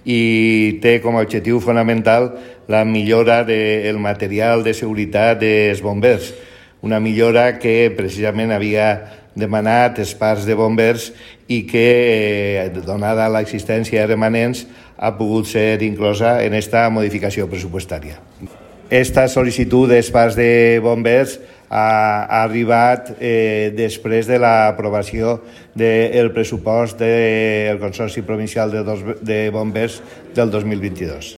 i té com a objectiu fonamental la millora del material de seguretat dels bombers, una millora que precisament havia demanat els parcs de bombers i que, donada l'existència de remanents, ha pogut ser inclosa en esta modificació pressupostària. Esta sol·licitud dels parcs de bombers ha arribat després de l'aprovació del pressupost del Consorci Provincial de Bombers del 2022.